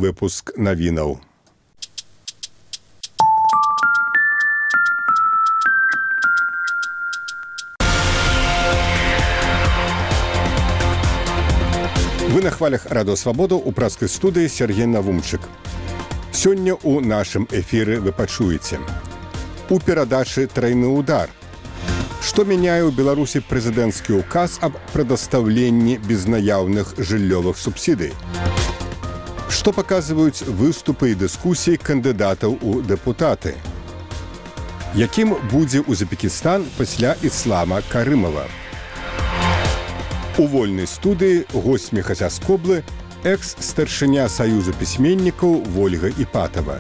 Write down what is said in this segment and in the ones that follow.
Выпуск навінаў. Вы на хвалях Радио Свабода у працкай студыі Сергей Навумчык. Сёння у нашым эфіры вы пачуеце. У перадачы «Тройны удар». Што мяняе ў Беларусі прэзідэнцкі ўказ аб прадастаўленні безнаяўных жыллёвых субсідый? Што паказваюць выступы і дыскусіі кандыдатаў у дэпутаты? Якім будзе Узбекістан пасля Іслама Карымова? У вольнай студыі госць Мехасяскоблы, экс-старшыня Саюза пісьменнікаў Вольга Іпатава.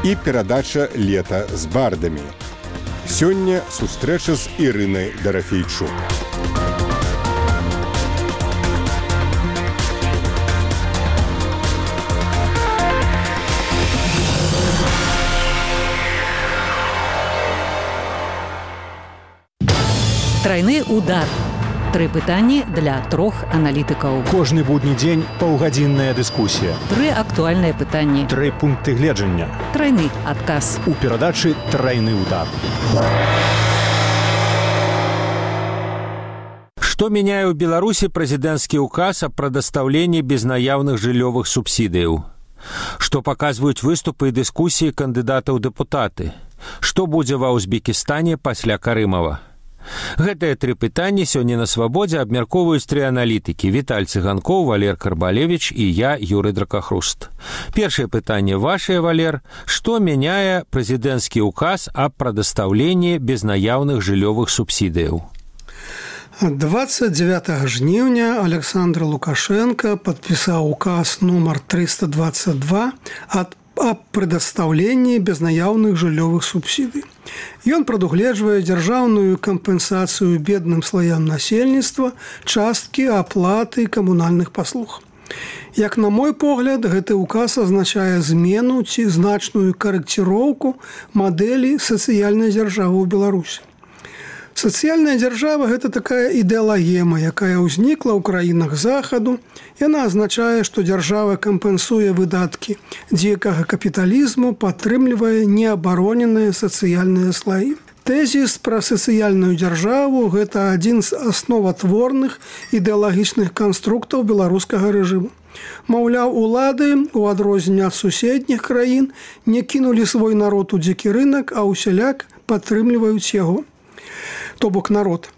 І перадача «Лета з бардамі». Сёння сустрэча з Ірынай Дарафейчук. Тройны удар. Тры пытанні для трох аналітыкаў. Кожны будні дзень паўгадзінная дыскусія. Тры актуальныя пытанні. Тры пункты гледжання. Тройны адказ. У перадачы «Тройны удар». Што мяняе ў Беларусі прэзідэнцкі ўказ аб прадастаўленні безнаяўных жыллёвых субсідыяў? Што паказваюць выступы і дыскусіі кандыдатаў у дэпутаты? Што будзе ва Узбекістане пасля Карымова? Гэтыя тры пытанні сёння на Свабодзе абмяркоўваюць тры аналітыкі: Віталь Цыганкоў, Валер Карбалевіч і я, Юрый Дракахруст. Першае пытанне вашае, Валер. Што мяняе прэзідэнцкі ўказ аб прадастаўленні безнаяўных жыллёвых субсідыяў? 29 жніўня Александр Лукашенко падпісаў указ нумар 322 аб прадастаўленні безнаяўных жыллёвых субсідый. Ён прадугледжвае дзяржаўную кампенсацыю бедным слаям насельніцтва часткі аплаты камунальных паслуг. Як на мой погляд, гэты ўказ азначае змену ці значную карэкціроўку мадэлі сацыяльнай дзяржавы ў Беларусі. Сацыяльная дзяржава – гэта такая ідэалагема, якая ўзнікла ў краінах Захаду. Яна азначае, што дзяржава кампенсуе выдаткі дзікага капіталізму, падтрымлівае неабароненыя сацыяльныя слаі. Тэзіс пра сацыяльную дзяржаву – гэта адзін з асноватворных ідэалагічных канструктаў беларускага рэжыму. Маўляў, улады, у адрозненне ад суседніх краін, не кінулі свой народ у дзікі рынак, а ўсяляк падтрымліваюць яго. То бок народ.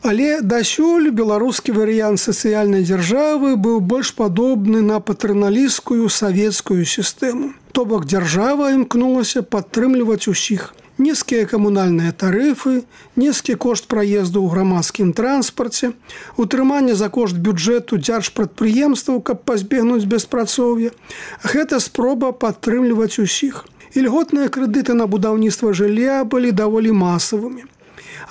Але дасюль беларускі варыянт сацыяльнай дзяржавы быў больш падобны на патрыналісцкую савецкую сістэму. То бок дзяржава імкнулася падтрымліваць усіх. Нізкія камунальныя тарыфы, нізкі кошт праезду ў грамадскім транспарце, утрыманне за кошт бюджэту дзяржпрадпрыемстваў, каб пазбегнуць беспрацоўя. Гэта спроба падтрымліваць усіх. Ільготныя крэдыты на будаўніцтва жылля былі даволі масавымі.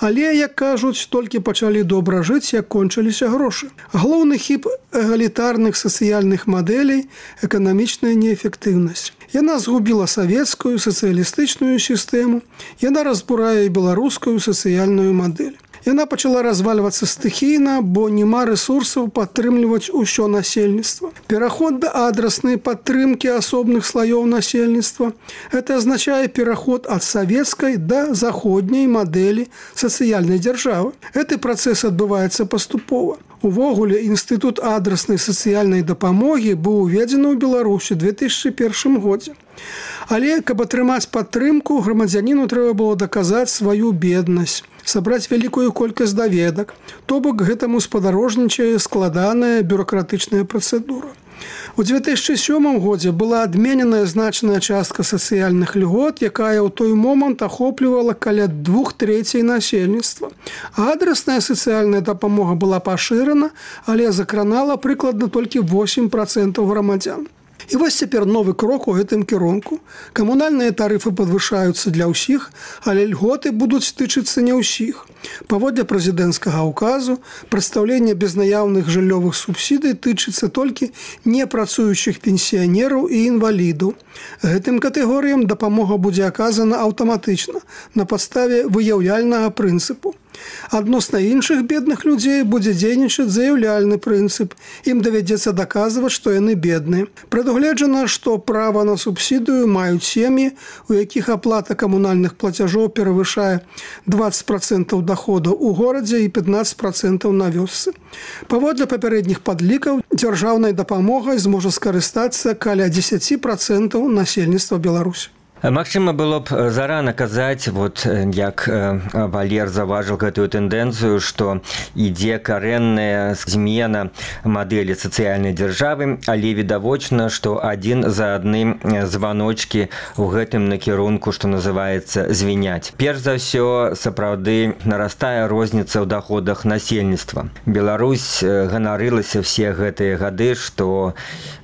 Але, як кажуць, толькі пачалі добра жыць, як кончыліся грошы. Галоўны хіб эгалітарных сацыяльных мадэлей – эканамічная неэфектыўнасць. Яна згубіла савецкую сацыялістычную сістэму, яна разбурае беларускую сацыяльную мадэль. Яна пачала развальвацца стыхійна, бо няма рэсурсаў падтрымліваць усё насельніцтва. Пераход да адраснай падтрымкі асобных слаёў насельніцтва – гэта азначае пераход ад савецкай да заходняй мадэлі сацыяльнай дзяржавы. Гэты працэс адбываецца паступова. Увогуле, інстытут адраснай сацыяльнай дапамогі быў уведзены ў Беларусі ў 2001 годзе. Але, каб атрымаць падтрымку, грамадзяніну трэба было даказаць сваю беднасць, сабраць вялікую колькасць даведак, то бок гэтаму спадарожнічае складаная бюракратычная працэдура. У 2007 годзе была адмененая значная частка сацыяльных льгот, якая ў той момант ахоплівала каля 2/3 насельніцтва. Адрасная сацыяльная дапамога была пашырана, але закранала прыкладна толькі 8% грамадзян. І вось цяпер новы крок у гэтым кірунку. Камунальныя тарыфы падвышаюцца для ўсіх, але льготы будуць тычыцца не ўсіх. Паводле прэзідэнцкага ўказу, прадстаўленне безнаяўных жыллёвых субсідый тычыцца толькі непрацуючых пенсіянераў і інвалідаў. Гэтым катэгорыям дапамога будзе аказана аўтаматычна, на падставе выяўляльнага прынцыпу. Адносна іншых бедных людзей будзе дзейнічаць заяўляльны прынцып. Ім давядзецца даказваць, што яны бедныя. Прадугледжана, што права на субсідыю маюць сем'і, у якіх аплата камунальных плацяжоў перавышае 20% доходу у горадзе і 15% на вёсцы. Паводле папярэдніх падлікаў, дзяржаўнай дапамогай зможа скарыстацца каля 10% насельніцтва Беларусі. Магчыма, было б зарана казаць, вот як Валер заўважыў гэтую тэндэнцыю, што ідзе карэнная змена мадэлі сацыяльнай дзяржавы, але відавочна, што адзін за адным званочкі ў гэтым накірунку, што называецца, звіняць. Перш за ўсё, сапраўды нарастае розніца ў даходах насельніцтва. Беларусь ганарылася все гэтыя гады, што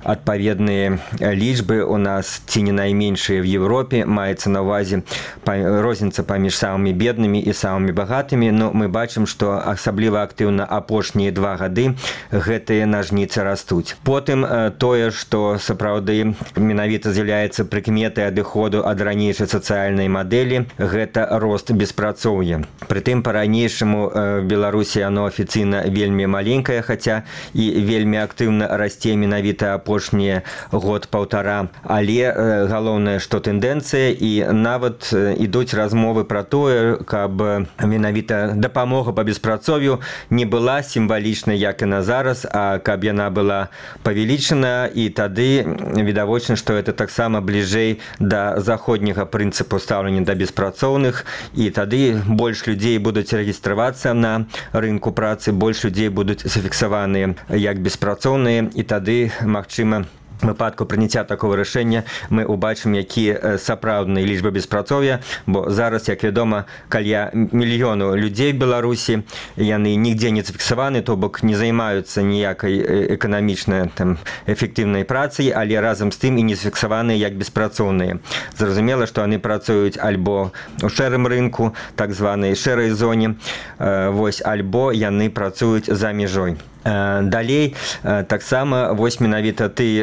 адпаведныя лічбы у нас ці не найменшыя в Европе, маецца на ўвазе розніца паміж самымі беднымі і самымі багатымі, но мы бачым, што асабліва актыўна апошнія 2 гады гэтыя нажніцы растуць. Потым тое, што сапраўды менавіта з'яўляецца прыкметай адыходу ад ранейшай сацыяльнай мадэлі, гэта рост беспрацоўя. Прытым па-ранейшаму в Беларусі оно афіцыйна вельмі маленькае, хаця і вельмі актыўна расце менавіта апошнія год-паўтара. Але галоўнае, што тэндэнцыя, і нават ідуць размовы пра тое, каб менавіта дапамога па беспрацоўю не была сімвалічнай, як і на зараз, а каб яна была павялічана, і тады відавочна, што это таксама бліжэй да заходняга прынцыпу стаўлення да беспрацоўных, і тады больш людзей будуць рэгістравацца на рынку працы, больш людзей будуць зафіксаваныя як беспрацоўныя, і тады, магчыма, в выпадку прыняцця такого рашэння мы ўбачым, якія сапраўдныя лічбы беспрацоўя, бо зараз, як вядома, каля мільёну людзей в Беларусі, яны нігдзе не зафіксаваны, то бок не займаюцца ніякай эканамічнай эфектыўнай працай, але разам з тым і не зафіксаваныя як беспрацоўныя. Зразумела, што яны працуюць альбо ў шэрым рынку, так званай шэрай зоне, альбо яны працуюць за мяжой. Далей таксама вось менавіта ты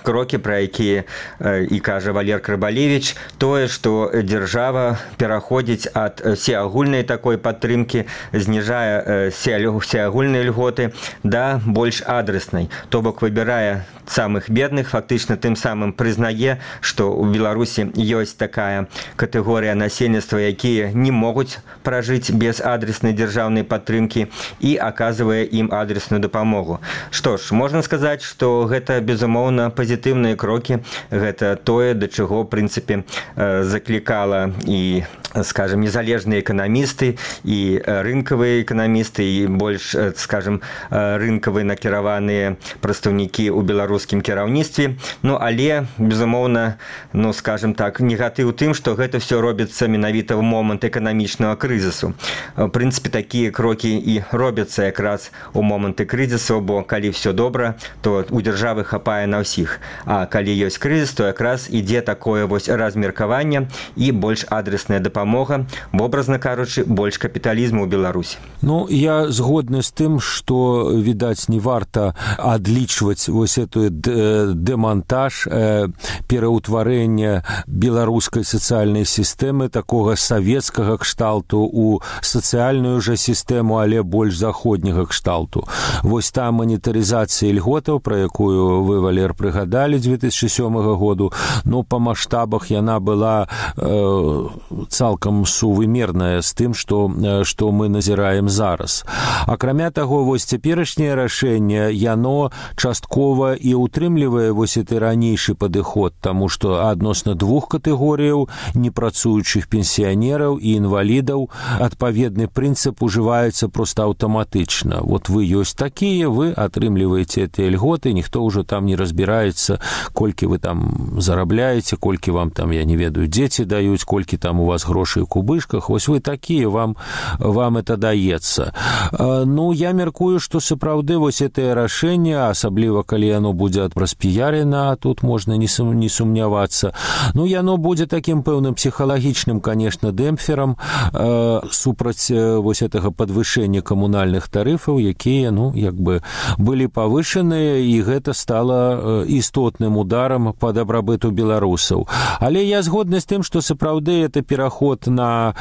крокі, пра якія і кажа Валер Крыбалевіч, тое, што дзяржава пераходзіць ад всеагульнай такой падтрымкі, зніжае всеагульныя льготы да больш адрэснай. То бок выбірае самых бедных, фактычна тым самым прызнае, што ў Беларусі ёсць такая катэгорыя насельніцтва, якія не могуць пражыць без адрэснай дзяржаўнай падтрымкі, і аказвае ім адресную дапамогу. Што ж, можна сказаць, што гэта, безумоўна, пазітыўныя крокі, гэта тое, да чаго, в прынцыпе, заклікала і, скажем, незалежныя эканамісты, і рынкавыя эканамісты, і больш, скажем, рынкавыя накіраваныя прадстаўнікі ў беларускім кіраўніцтве. Ну, але, безумоўна, ну, скажем так, негатыў тым, што гэта все робіцца менавіта ў момант эканамічнага крызісу. В прынцыпе, такія крокі і робяцца якраз у моманты крызісу, бо калі все добра, то у дзяржавы хапае на ўсіх. А калі ёсць крызіс, то якраз ідзе такое вось размеркаванне і больш адресная дапамога, вобразна кажучы, больш капіталізму ў Беларусі. Ну, я згодны з тым, што, відаць, не варта адлічваць вось эту дэмантаж, пераўтварэння беларускай сацыяльнай сістэмы, такога савецкага кшталту у сацыяльную жа сістэму, але больш заходняга кшталту. Вось та манетарызацыя льготаў, пра якую вы, Валер, прыгадалі 2007 году, ну, па маштабах яна была цалкам сувымерная з тым, што мы назіраем зараз. Акрамя таго, вось цяперашняе рашэнне, яно часткова і утрымлівае вось гэты ранейшы падыход, таму што адносна 2 катэгорыяў непрацуючых пенсіянераў і інвалідаў адпаведны прынцып ужываецца проста аўтаматычна. Вот вы ёсць такія, вы атрымліваеце гэтыя льготы, ніхто ўжо там не разбіраецца, колькі вы там зарабляеце, колькі вам там, я не ведаю, дзеці даюць, колькі там у вас грошай у кубышках, вось вы такія, вам это даецца. Ну, я мяркую, што сапраўды вось гэтае рашэнне, асабліва калі яно будзе распіярена, тут можна не сумнявацца. Ну, яно будзе такім пэўным псіхалагічным, конечно, дэмпферам супраць вось гэтага падвышэння камунальных тарыфаў, якія, ну, як бы былі павышаныя, і гэта стала істотным ударам па дабрабыту беларусаў. Але я згодны з тым, што сапраўды это пераход на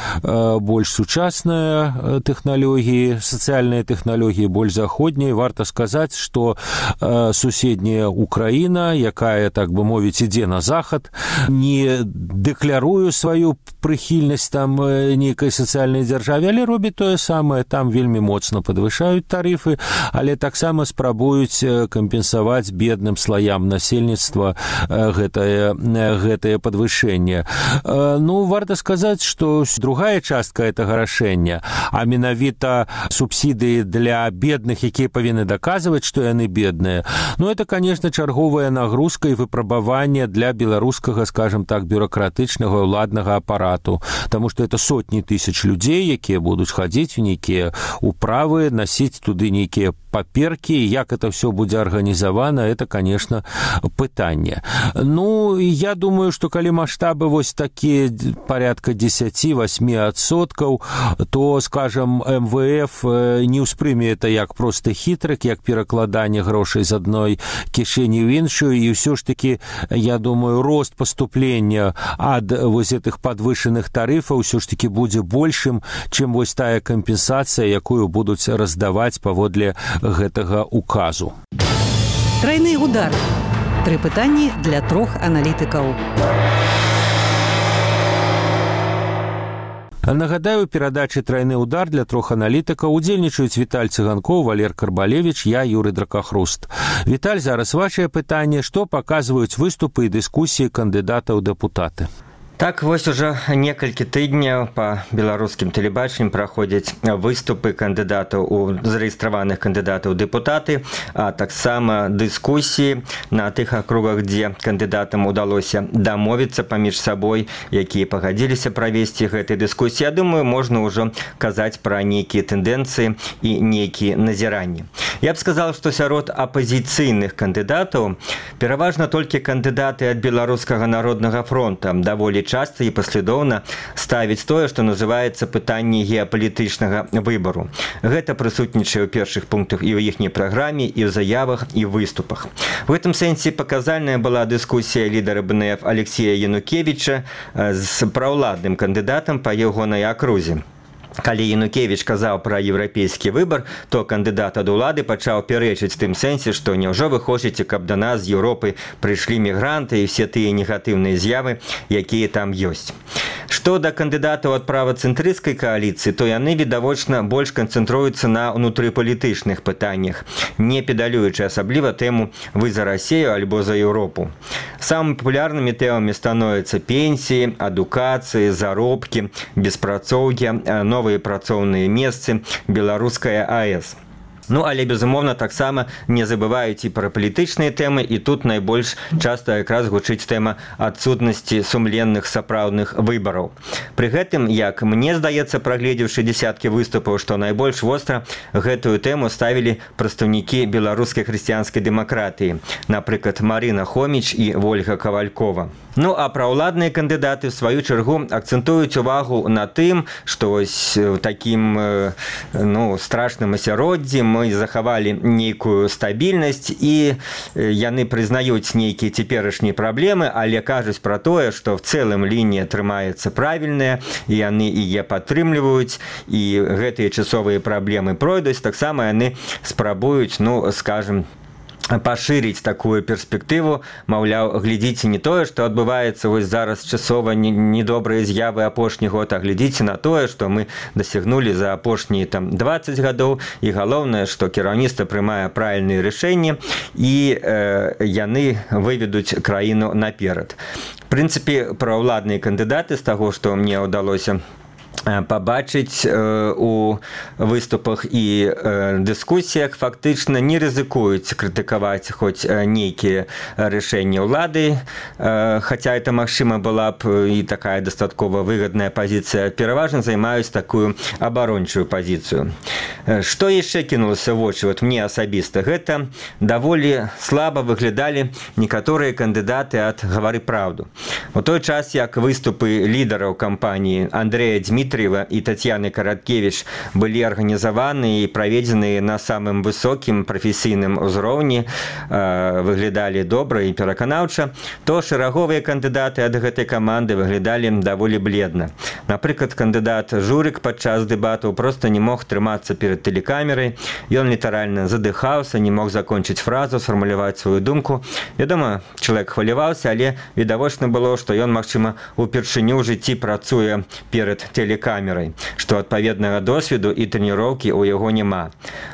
больш сучасныя тэхналогіі, сацыяльныя тэхналогіі, больш заходнія. Варта сказаць, што суседняя Украіна, якая, так бы мовіць, ідзе на захад, не дэклярую сваю прыхільнасць там нейкай сацыяльнай дзяржаве, але робіць тое самае, там вельмі моцна падвышаюць тарыфы, але таксама спрабуюць кампенсаваць бедным слаям насельніцтва гэтае падвышэнне. Ну, варта сказаць, што другая частка гэтага рашэння, а менавіта субсідыі для бедных, якія павінны даказваць, што яны бедныя, ну, это, конечно, чарговая нагрузка і выпрабаванне для беларускага, скажем так, бюрократычнага ўладнага апарату, таму што это сотні тысяч людзей, якія будуць хадзіць у нейкія управы, насіць туды нейкія паперкі, як это все будзе арганізавана, это, конечно, пытанне. Ну, я думаю, што калі маштабы вось такія порядка 10-8%, то, скажем, МВФ не ўспрыме это як просто хітрык, як перакладанне грошай з адной кішэні ў іншую, і ўсё ж таки, я думаю, рост паступлення ад вось гэтых падвышаных тарыфаў ўсё ж таки будзе большым, чым вось тая кампенсацыя, якую будуць раздаваць паводле гэтага указу. Трайны удар. 3 пытанні для 3 аналітыкаў. Нагадаю, у перадачы «Трайны удар» для 3 аналітыкаў удзельнічаюць Віталь Цыганкоў, Валер Карбалевіч, я, Юрый Дракахруст. Віталь, зараз вашае пытанне, што паказваюць выступы і дыскусіі кандыдатаў у дэпутаты? Так, вось уже некалькі тыдняў па беларускім тэлебачанні праходзяць выступы кандыдатаў зарэгістраваных кандыдатаў дэпутаты, а таксама дыскусіі на тых акругах, дзе кандыдатам удалося дамовіцца паміж сабой, якія пагадзіліся правесці гэтай дыскусіі. Я думаю, можна ўжо казаць пра нейкія тэндэнцыі і нейкія назіранні. Я б сказал, што сярод апазіцыйных кандыдатаў пераважна толькі кандыдаты ад Беларускага народнага фронта даволі часта і паслядоўна ставіць тое, што называецца пытанне геапалітычнага выбару. Гэта прысутнічае ў першых пунктах і ў іхняй праграме, і ў заявах, і ў выступах. В гэтым сэнсе паказальная была дыскусія лідара БНФ Алексея Янукевіча з праўладным кандыдатам па ягонай акрузе. Калі Янукевіч казаў пра еўрапейскі выбар, то кандыдат ад улады пачаў пярэчыць тым сэнсе, што няўжо вы хочаце, каб да нас з Еўропы прыйшлі мігранты і все тыя негатыўныя з'явы, якія там ёсць. Што да кандыдатаў ад правацэнтрысцкай кааліцыі, то яны, відавочна, больш канцэнтруюцца на ўнутрыпалітычных пытаннях, не педалюючы асабліва тэму «Вы за Расею альбо за Еўропу». Самымі папулярнымі тэмамі становяцца пенсіі, адукацыі, заробкі, беспрацоўе, новыя працоўныя месцы, беларуская АЭС. Ну, але, безумоўна, таксама не забываюць і пра палітычныя тэмы, і тут найбольш часта якраз гучыць тэма адсутнасці сумленных сапраўдных выбараў. Пры гэтым, як мне здаецца, прагледзеўшы дзясяткі выступаў, што найбольш востра гэтую тэму ставілі прадстаўнікі беларускай хрысціянскай дэмакратыі, напрыклад, Марына Хоміч і Вольга Кавалькова. Ну, а праўладныя кандыдаты, в сваю чаргу, акцэнтуюць увагу на тым, што вось у такім страшным асяроддзі мы захавалі нейкую стабільнасць, і яны прызнаюць нейкія цяперашнія праблемы, але кажуць пра тое, што в цэлым лінія атрымаецца правільная, і яны яе падтрымліваюць, і гэтыя часовыя праблемы пройдуць. Таксама яны спрабуюць, скажем, пашырыць такую перспектыву, маўляў, глядзіце не тое, што адбываецца вось зараз часова недобрыя з'явы апошні год, а глядзіце на тое, што мы дасягнулі за апошнія 20 гадоў, і галоўнае, што кіраўніцтва прымае правільныя рашэнні, і яны выведуць краіну наперад. В прынцыпе, праўладныя кандыдаты, з таго, што мне ўдалося пабачыць у выступах і дыскусіях фактычна не рызыкуюць крытыкаваць хоць нейкія рашэнні ўлады, хаця это, магчыма, была б і такая дастаткова выгадная пазіцыя, пераважна займаюць такую абарончую пазіцыю. Што яшчэ кінулася ў вочы, вот мне асабіста, гэта даволі слаба выглядалі некаторыя кандыдаты ад «Гавары праўду». У той час, як выступы лідараў кампаніі Андрэя Дмітрыева и Татьяны Караткевич были организованы и проведены на самым высоким профессийным узроўні, выглядали добра и пераканаўча, то шэраговыя кандыдаты ад гэтай каманды выглядалі даволі бледна. Напрыклад, кандыдат Журик падчас дэбатаў просто не мог трымацца перед телекамерай, ён літаральна задыхаўся, не мог закончыць фразу, сфармуляваць сваю думку. Вядома, чалавек хваляваўся, але відавочна было, што ён, магчыма, упершыню ў жыцці працуе перед телекамерай, што адпаведнага досведу і трэніроўкі ў яго няма.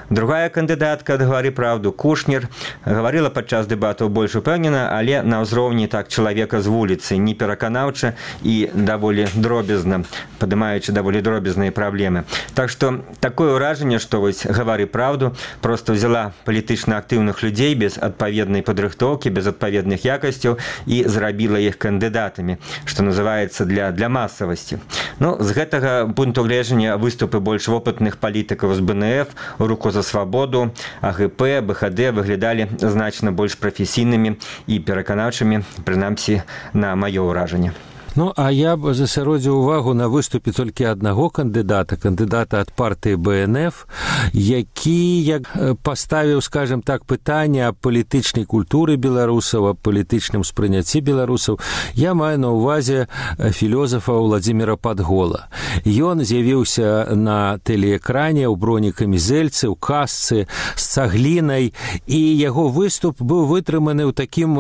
Другая кандыдатка ад «Гавары праўду» Кушнер гаварыла падчас дэбатаў больш упэўнена, але на ўзроўні так чалавека з вуліцы, не пераканаўча і даволі дробязна, падымаючы даволі дробязныя праблемы. Так што такое ўражанне, што вось «Гавары праўду» проста взяла палітычна актыўных людзей без адпаведнай падрыхтоўкі, без адпаведных якасцяў і зрабіла іх кандыдатамі, што называецца для масавасці. Ну, з гэтага пункту гледжання выступы больш вопытных палітыкаў з БНФ, «Руку за свабоду», АГП, БХД выглядалі значна больш прафесійнымі і пераканаўчымі, прынамсі, на маё ўражанне. Ну, а я б засяродзіў увагу на выступе толькі аднаго кандыдата ад партыі БНФ, які паставіў, скажем так, пытанне аб палітычнай культуры беларусаў, аб палітычным спрыняцці беларусаў. Я маю на ўвазе філёзафа Владзіміра Падгола. Ён з'явіўся на тэлеэкране ў бронекамізэльцы, ў касцы, з цаглінай, і яго выступ быў вытрыманы ў такім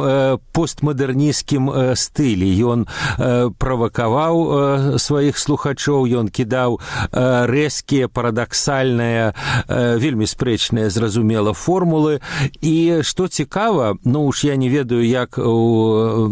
постмадэрнісцкім стылі. Ён правакаваў сваіх слухачоў, ён кідаў рэзкія, парадаксальныя, вельмі спрэчныя, зразумела, формулы. І што цікава, ну уж я не ведаю, як у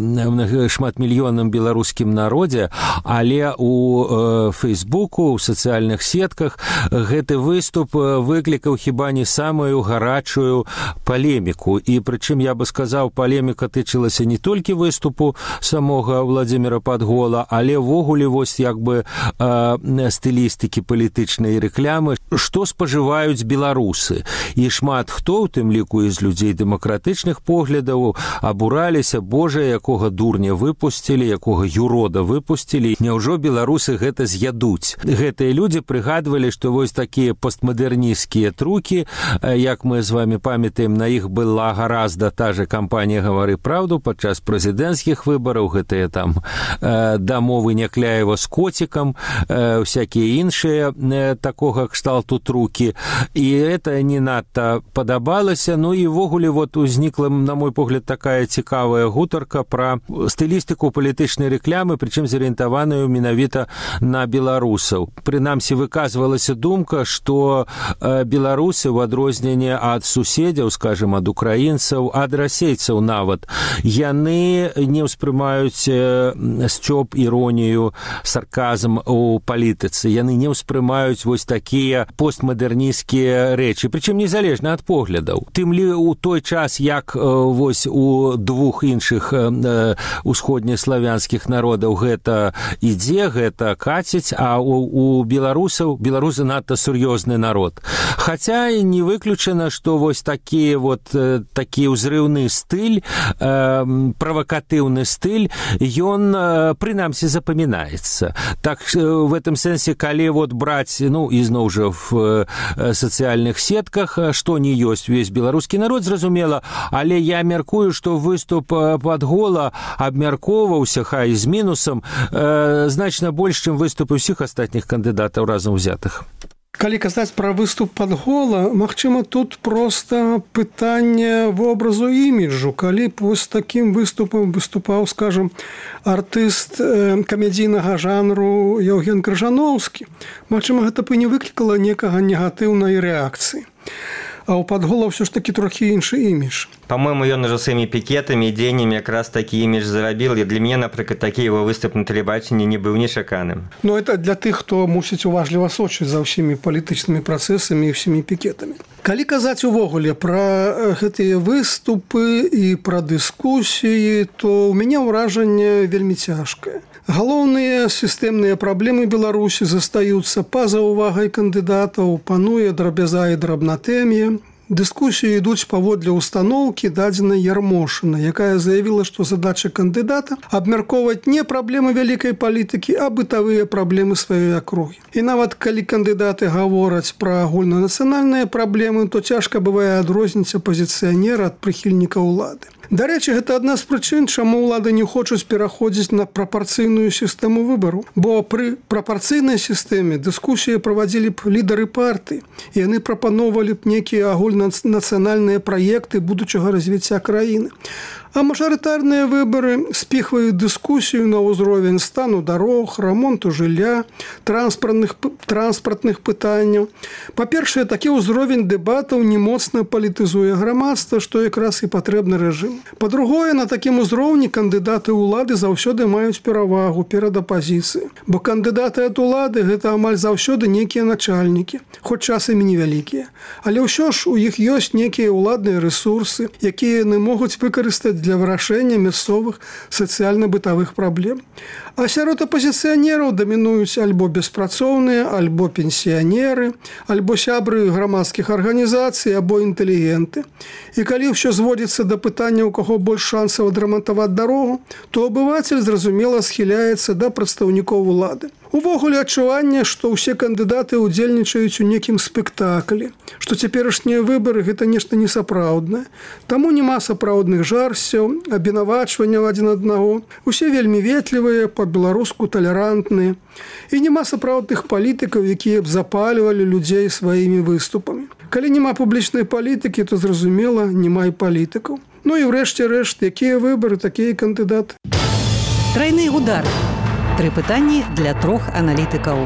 шматмільённым беларускім народзе, але у Фейсбуку, у сацыяльных сетках гэты выступ выклікаў хіба не самую гарачую палеміку. І прычым, я бы сказаў, палеміка тычылася не толькі выступу самога Владзіміра Падгола, але ввогуле вось як бы стылістыкі палітычнай рэклямы, што спажываюць беларусы. І шмат хто, у тым ліку з людзей дэмакратычных поглядаў, абураліся: божа, якога дурня выпусцілі, якога юрода выпусцілі, няўжо беларусы гэта з'ядуць. Гэтыя людзі прыгадвалі, што вось такія постмадэрнісцкія трукі, як мы з вами памятаем, на іх была гаразда та же кампанія «Гавары праўду» падчас прэзідэнцкіх выбараў, гэтыя там дамовы Някляева з коцікам, всякія іншыя такога кшталту трукі. І это не надта падабалася. Ну і ввогуле вот узнікла, на мой погляд, такая цікавая гутарка пра стылістыку палітычнай рэклямы, прычым зарыентаваную менавіта на беларусаў. Прынамсі, выказвалася думка, што беларусы, у адрозненне ад суседзяў, скажем, ад украінцаў, ад расейцаў нават, яны не ўспрымаюць сцёб, іронію, сарказм у палітыцы. Яны не ўспрымаюць вось такія постмадэрнісцкія рэчы, прычым незалежна ад поглядаў. Тым лі у той час, як вось у двух іншых усходнеславянскіх народаў гэта ідзе, гэта каціць, а у беларусаў, беларусы надта сур'ёзны народ. Хаця не выключана, што вось такі ўзрыўны стыль, правакатыўны стыль, ён прынамсі запамінаецца. Так в этом сэнсе, калі вот браць, ну, ізноў жа в сацыяльных сетках, што не ёсць увесь беларускі народ, зразумела, але я мяркую, што выступ Падгола абмяркоўваўся, хай з мінусам, значна больш, чым выступы ўсіх астатніх кандыдатаў разам узятых. Калі казаць пра выступ Падгола, магчыма, тут проста пытанне вобразу іміджу. Калі б вось такім выступам выступаў, скажам, артыст камедійнага жанру Яўген Крыжаноўскі, магчыма, гэта б і не выклікала некага негатыўнай рэакцыі. а ў падгола ўсё ж такі трохі іншы імідж. По-моему, ён ужо сваімі пікетамі і дзеяннямі якраз такі імідж зарабіў, і для мяне, напрыклад, такі его выступ на тэлебачанні не быў нечаканым. Ну, это для тых, хто мусіць уважліва сочыць за ўсімі палітычнымі працэсамі і ўсімі пікетамі. Калі казаць увогуле пра гэтыя выступы і пра дыскусіі, то ў мяне ўражанне вельмі цяжкае. Галоўныя сістэмныя праблемы Беларусі застаюцца па-за увагай кандыдатаў, пануе драбяза і драбнатэмія. Дыскусіі ідуць паводле устаноўкі дадзенай Ярмошына, якая заявіла, што задача кандыдата абмяркоўваць не праблемы вялікай палітыкі, а бытавыя праблемы сваёй акругі. І нават калі кандыдаты гавораць пра агульнанацыянальныя праблемы, то цяжка бывае адрозніць апазіцыянера ад прыхільніка ўлады. Дарэчы, гэта адна з прычын, чаму ўлады не хочуць пераходзіць на прапарцыйную сістэму выбару. Бо пры прапарцыйнай сістэме дыскусіі правадзілі б лідары партыі, і яны прапаноўвалі б нейкія агульнанацыянальныя праекты будучага развіцця краіны. А мажарытарныя выбары спіхваюць дыскусію на ўзровень стану дарог, рамонту жылля, транспартных пытанняў. Па-першае, такі ўзровень дэбатаў не моцна палітызуе грамадства, што якраз і патрэбны рэжым. Па-другое, на такім узроўні кандыдаты ўлады заўсёды маюць перавагу перад апазіцыяй. Бо кандыдаты ад улады – гэта амаль заўсёды нейкія начальнікі, хоць часамі невялікія. Але ўсё ж у іх ёсць нейкія ўладныя рэсурсы, якія яны могуць выкарыстаць для вырашэння мясцовых сацыяльна-бытавых праблем. А сярод апазіцыянераў дамінуюць альбо беспрацоўныя, альбо пенсіянеры, альбо сябры грамадскіх арганізацый, або інтэлігенты. І калі ўсё зводзіцца да пытання, у каго больш шансаў адрамантаваць дарогу, то абывацель, зразумела, схіляецца да прадстаўнікоў улады. Увогуле адчуванне, што ўсе кандыдаты ўдзельнічаюць у некім спектаклі, што цяперашнія выбары – гэта нешта несапраўднае. Таму няма сапраўдных жарсцяў, абвінавачванняў адзін аднаго. Усе вельмі ветлівыя, па-беларуску талерантныя. І няма сапраўдных палітыкаў, якія б запальвалі людзей сваімі выступамі. Калі няма публічнай палітыкі, то, зразумела, няма і палітыкаў. Ну і ўрэшце рэшт, якія выбары, такія кандыдаты. Трайны удар. 3 пытанні для 3 аналітыкаў.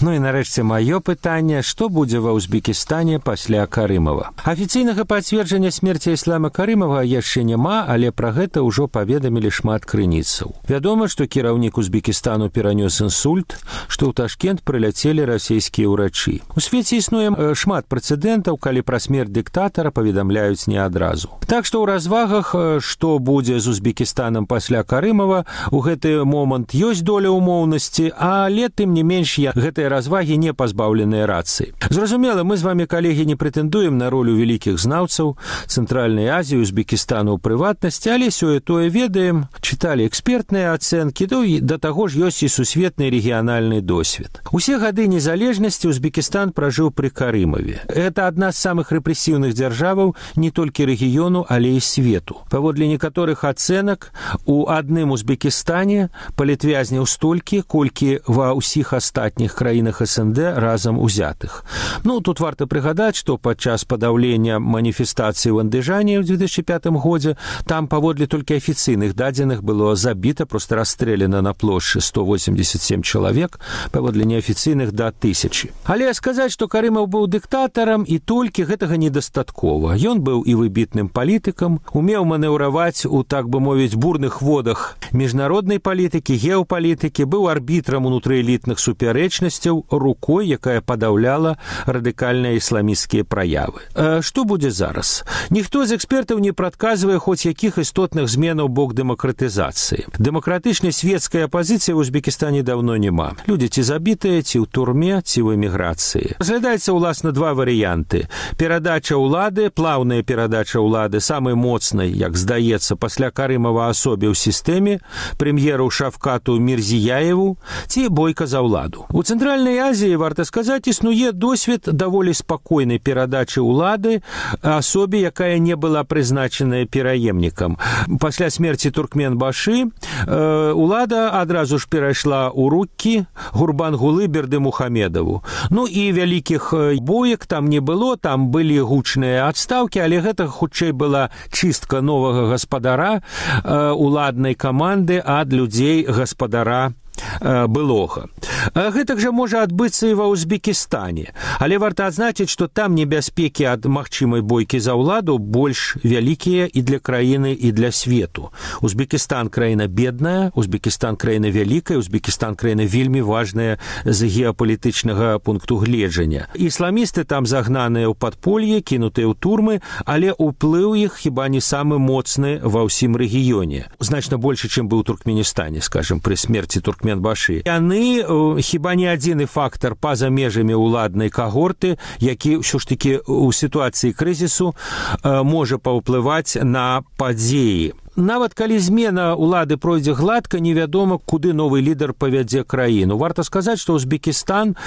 Ну і нарэшце маё пытанне, што будзе ва Узбекістане пасля Карымова. Афіцыйнага пацверджання смерці Іслама Карымова яшчэ няма, але пра гэта ўжо паведамілі шмат крыніцаў. Вядома, што кіраўнік Узбекістану перанёс інсульт, што ў Ташкент прыляцелі расійскія ўрачы. У свеце існуе шмат прэцэдэнтаў, калі пра смерць дыктатара паведамляюць не адразу. Так што ў развагах, што будзе з Узбекістанам пасля Карымова, у гэты момант ёсць доля ўмоўнасці, але тым не менш гэтыя развагі не пазбаўленыя рацыі. Зразумела, мы з вамі, калегі, не прэтэндуем на ролю вялікіх знаўцаў Цэнтральнай Азіі, Узбекістану ў прыватнасці, але сёе-тое ведаем, чыталі экспертныя ацэнкі, да таго ж ёсць і сусветны рэгіянальны досвед. Усе гады незалежнасці Узбекістан пражыў пры Карымаве. Это адна з самых рэпрэсіўных дзяржаваў не толькі рэгіёну, але і свету. Паводле некаторых ацэнак, у адным Узбекістане палітвязняў столькі, колькі ва ўсіх астатніх краінах СНД разам узятых. Ну, тут варта прыгадаць, што падчас падаўлення маніфестацыі ў Андыжане ў 2005 годзе там паводле толькі афіцыйных дадзеных было забіта, проста расстрэляна на плошчы 187 чалавек, паводле неафіцыйных да 1000. Але сказаць, што Карымаў быў дыктатарам, і толькі гэтага недастаткова. Ён быў і выбітным палітыкам, умеў манеўраваць у, так бы мовіць, бурных водах міжнароднай палітыкі, геапалітыкі, быў арбітрам унутрыэлітных супярэчнасцяў, рукой, якая падаўляла радыкальныя ісламісцкія праявы. Што будзе зараз? Ніхто з экспертаў не прадказвае хоць якіх істотных зменаў бок дэмакратызацыі. Дэмакратычнай светскай апазіцыі ў Узбекістане даўно няма. Людзі ці забітыя, ці ў турме, ці ў эміграцыі. Разглядаецца, уласна, два варыянты. Перадача ўлады, плаўная перадача ўлады самай моцнай, як здаецца, пасля Карымава асобе ў сістэме, прэм'еру Шавкату Мірзіяеву, ці бойка за ўладу. У Цэнтральнай Азіі, варта сказаць, існуе досвед даволі спакойнай перадачы ўлады асобе, якая не была прызначаная пераемнікам. Пасля смерці Туркменбашы ўлада адразу ж перайшла ў рукі Гурбангулы Бердымухамедаву. Ну і вялікіх боек там не было, там былі гучныя адстаўкі, але гэта хутчэй была чыстка новага гаспадара, уладнай каманды ад людзей гаспадара былога. Гэтак жа можа адбыцца і ва Узбекістане. Але варта адзначыць, што там небяспекі ад магчымай бойкі за ўладу больш вялікія і для краіны, і для свету. Узбекістан краіна бедная, Узбекістан краіна вялікая, Узбекістан краіна вельмі важная з геапалітычнага пункту гледжання. Ісламісты там загнаныя ў падполье, кінутыя ў турмы, але ўплыў іх хіба не самы моцны ва ўсім рэгіёне. Значна больше, чым быў у Туркменістане, скажем, пры смерці Туркменбашы. Яны хіба не адзіны фактар па-за межамі ўладнай кагорты, які ўсё ж такі ў сітуацыі крызісу можа паўплываць на падзеі. Нават калі змена ўлады пройдзе гладка, невядома, куды новы лідар павядзе краіну. Варта сказаць, што Узбекістан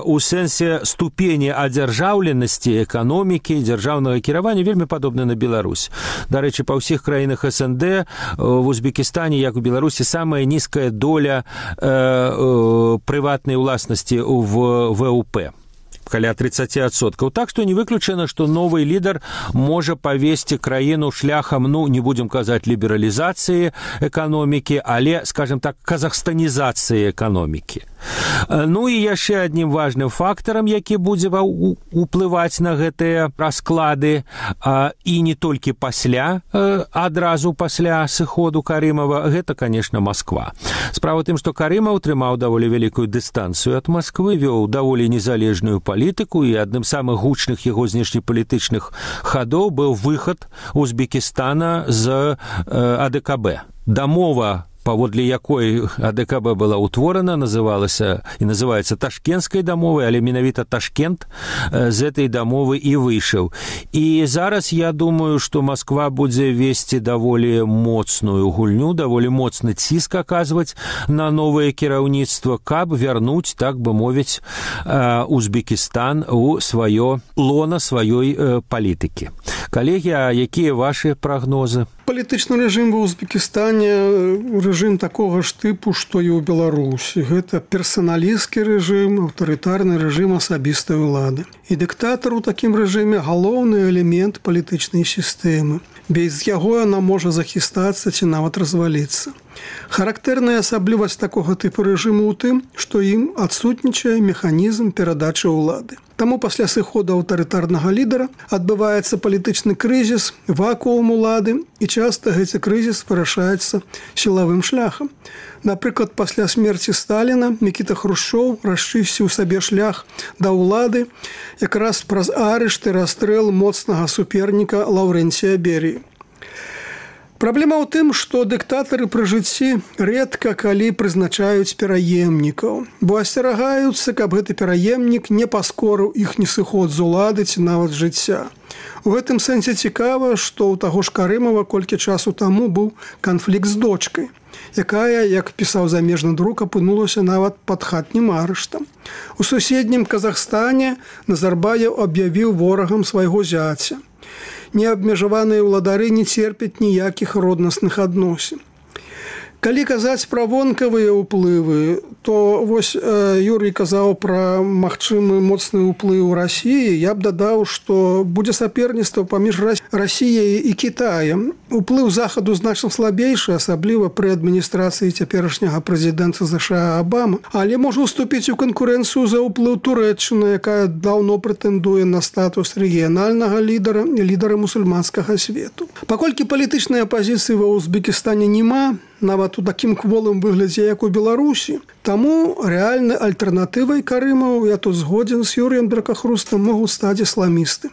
у сэнсе ступені адзяржаўленасці эканомікі, дзяржаўнага кіравання вельмі падобны на Беларусь. Дарэчы, па ўсіх краінах СНД в Узбекістане, як у Беларусі, самая нізкая доля прыватнай уласнасці в ВУП. Каля 30%. Так што не выключана, што новый лідар можа павесці краіну шляхам, не будзем казаць лібералізацыі эканомікі, але, скажем так, казахстанізацыі эканомікі. І яшчэ аднім важным фактарам, які будзе уплываць на гэтыя расклады, і не толькі пасля, адразу пасля сыходу Карымова, гэта, конечно, Москва. Справа тым, што Карымаў трымаў даволі вялікую дыстанцыю ад Москвы, вёў даволі незалежную палітыку, і адным з самых гучных яго знешнепалітычных хадоў быў выхад Узбекістана з АДКБ. Дамова, паводле якой АДКБ была ўтворана, называлася і называецца Ташкенскай дамовай, але менавіта Ташкент з этой дамовы і выйшаў. І зараз я думаю, што Москва будзе весці даволі моцную гульню, даволі моцны ціск аказваць на новае кіраўніцтва, каб вярнуць, так бы мовіць, Узбекістан у сваё лона сваёй палітыкі. Калегі, а якія вашы прагнозы? Палітычны рэжым ва Узбекістане рэжым такога ж тыпу, што і ў Беларусі. Гэта персаналісцкі рэжым, аўтарытарны рэжым асабістай улады. І дыктатар у такім рэжыме галоўны элемент палітычнай сістэмы. Без яго яна можа захістацца ці нават разваліцца. Характэрная асаблівасць такога тыпу рэжыму ў тым, што ім адсутнічае механізм перадачы ўлады. Таму пасля сыходу аўтарытарнага лідара адбываецца палітычны крызіс, вакуум улады, і часта гэты крызіс вырашаецца сілавым шляхам. Напрыклад, пасля смерці Сталіна Мікіта Хрушчоў расчысціў сабе шлях да ўлады якраз праз арышт і расстрэл моцнага суперніка Лаўрэнція Беріі. Праблема ў тым, што дыктатары пры жыцці рэдка калі прызначаюць пераемнікаў, бо асцерагаюцца, каб гэты пераемнік не паскорыў іхні сыход з улады ці нават жыцця. У гэтым сэнсе цікава, што ў таго ж Карымова колькі часу таму быў канфлікт з дочкай, якая, як пісаў замежны друк, апынулася нават пад хатнім арыштам. У суседнім Казахстане Назарбаев аб'явіў ворагам свайго зяця. Неабмежаваныя ўладары не церпяць ніякіх роднасных адносін. Калі казаць пра вонкавыя ўплывы, то вось Юрый казаў пра магчымы моцны ўплыў Расіі. Я б дадаў, што будзе саперніцтва паміж Расіяй і Кітаем. Уплыў захаду значна слабейшы, асабліва пры адміністрацыі цяперашняга прэзідэнта США Абама, але можа ўступіць у канкурэнцыю за ўплыў Турэччыны, якая даўно прэтэндуе на статус рэгіянальнага лідара і лідара мусульманскага свету. Паколькі палітычнай апазіцыі ва Узбекістане няма, нават у такім кволым выглядзе, як у Беларусі. Таму рэальнай альтэрнатывай Карымаў, я тут згодзін з Юрыем Дракахрустам, могуць стаць ісламісты.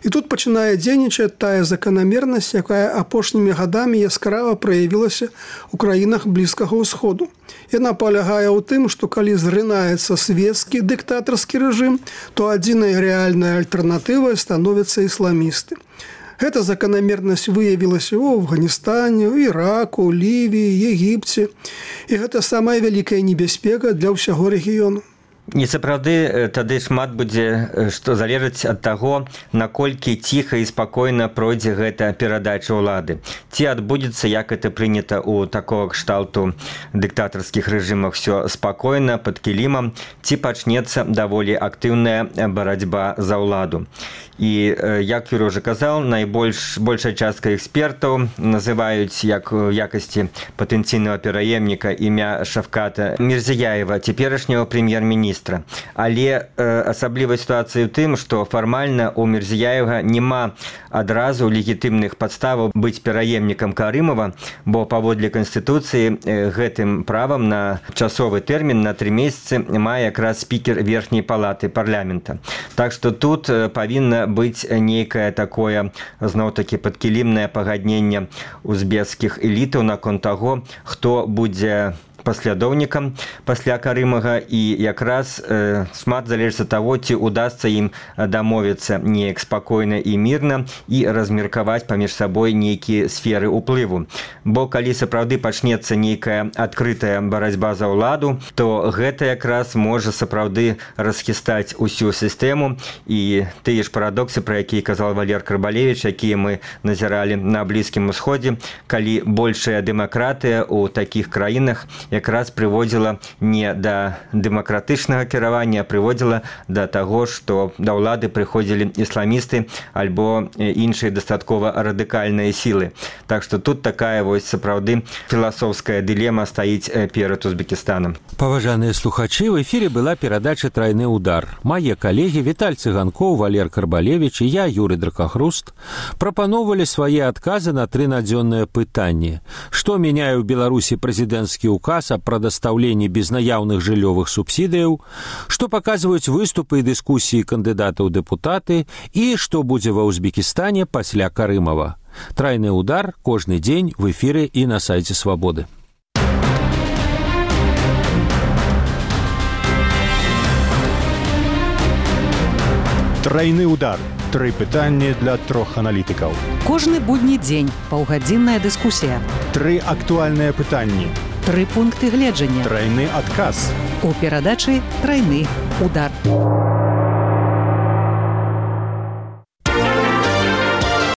І тут пачынае дзейнічаць тая заканамернасць, якая апошнімі гадамі яскрава праявілася ў краінах Блізкага ўсходу. Яна палягае ў тым, што калі зрынаецца свецкі дыктатарскі рэжым, то адзінай рэальнай альтэрнатывай становяцца ісламісты. Гэта заканамернасць выявілася ў Афганістане, ў Іраку, Лівіі, Егіпце. І гэта самая вялікая небяспека для ўсяго рэгіёну. Не сапраўды, тады шмат будзе, што залежыць ад таго, наколькі ціха і спакойна пройдзе гэта перадача ўлады. Ці адбудзецца, як это прынята ў такога кшталту дыктатарскіх рэжымах, все спакойна, пад кілімам, ці пачнецца даволі актыўная барацьба за ўладу. І як Юрий уже казаў, большая частка экспертаў называюць як у якасці патэнцыйнага пераемніка імя Шавката Мирзияева, цяперашняга прэм'ер-міністра. Але асаблівай сітуацыі ў тым, што фармальна у Мирзияева няма адразу легітымных падставаў быць пераемнікам Карымова, бо паводле Канстытуцыі гэтым правам на часовы тэрмін на 3 месяцы мае якраз спікер верхняй палаты парламента. Так што тут павінна быць нейкае такое, зноў-такі, падкілімнае пагадненне узбекскіх элітаў наконт таго, хто будзе паслядоўнікам пасля Карымага, і якраз шмат залежыць ад таго, ці удасца ім дамовіцца неяк спакойна і мірна і размеркаваць паміж сабой нейкія сферы ўплыву. Бо калі сапраўды пачнецца нейкая адкрытая барацьба за ўладу, то гэта якраз можа сапраўды расхістаць усю сістэму, і тыя ж парадоксы, пра якія казаў Валер Карбалевіч, якія мы назіралі на Блізкім Усходзе, калі большая дэмакратыя ў такіх краінах якраз прыводзіла не да дэмакратычнага кіравання, а прыводзіла да таго, што да ўлады прыходзілі ісламісты альбо іншыя дастаткова радыкальныя сілы. Так што тут такая вось сапраўды філасофская дылема стаіць перад Узбекістанам. Паважаныя слухачы, в эфіре была перадача «Трайны удар». Мае калегі Віталь Цыганкоў, Валер Карбалевіч і я, Юрий Дракахруст, прапаноўвалі свае адказы на 3 надзённыя пытанні. Што мяняе ў Беларусі прэзідэнцкі ўказ о прадастаўленні безнаяўных жыллёвых субсідыяў, што паказваюць выступы і дыскусіі кандыдатаў дэпутаты і што будзе ва Узбекістане пасля Карымава. Трайны удар кожны дзень в эфіры і на сайце Свабоды. Трайны удар. 3 пытанні для 3 аналітыкаў. Кожны будні дзень паўгадзінная дыскусія. 3 актуальныя пытанні. 3 пункты гледжання. Трайны адказ. У перадачы «Трайны удар».